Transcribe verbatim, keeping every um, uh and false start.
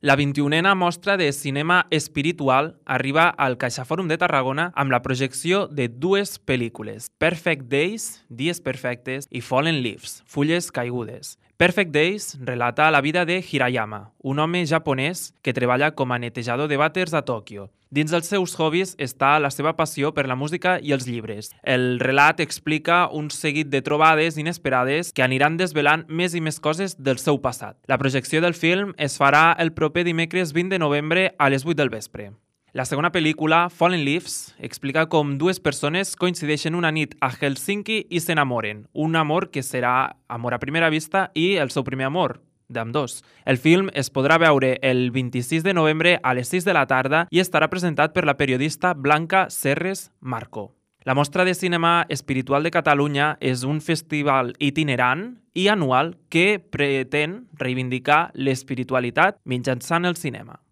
La vint-i-unena mostra de cinema espiritual arriba al CaixaFòrum de Tarragona amb la projecció de dues pel·lícules, Perfect Days, Dies Perfectes, i Fallen Leaves, Fulles Caigudes. Perfect Days relata la vida de Hirayama, un home japonès que treballa com a netejador de vàters a Tòquio. Dins dels seus hobbies està la seva passió per la música i els llibres. El relat explica un seguit de trobades inesperades que aniran desvelant més i més coses del seu passat. La projecció del film es farà el proper dimecres vint de novembre a les vuit del vespre. La segona pel·lícula, Fallen Leaves, explica com dues persones coincideixen una nit a Helsinki i s'enamoren. Un amor que serà amor a primera vista i el seu primer amor, d'ambdós. El film es podrà veure el vint-i-sis de novembre a les sis de la tarda i estarà presentat per la periodista Blanca Serres Marco. La Mostra de Cinema Espiritual de Catalunya és un festival itinerant i anual que pretén reivindicar l'espiritualitat mitjançant el cinema.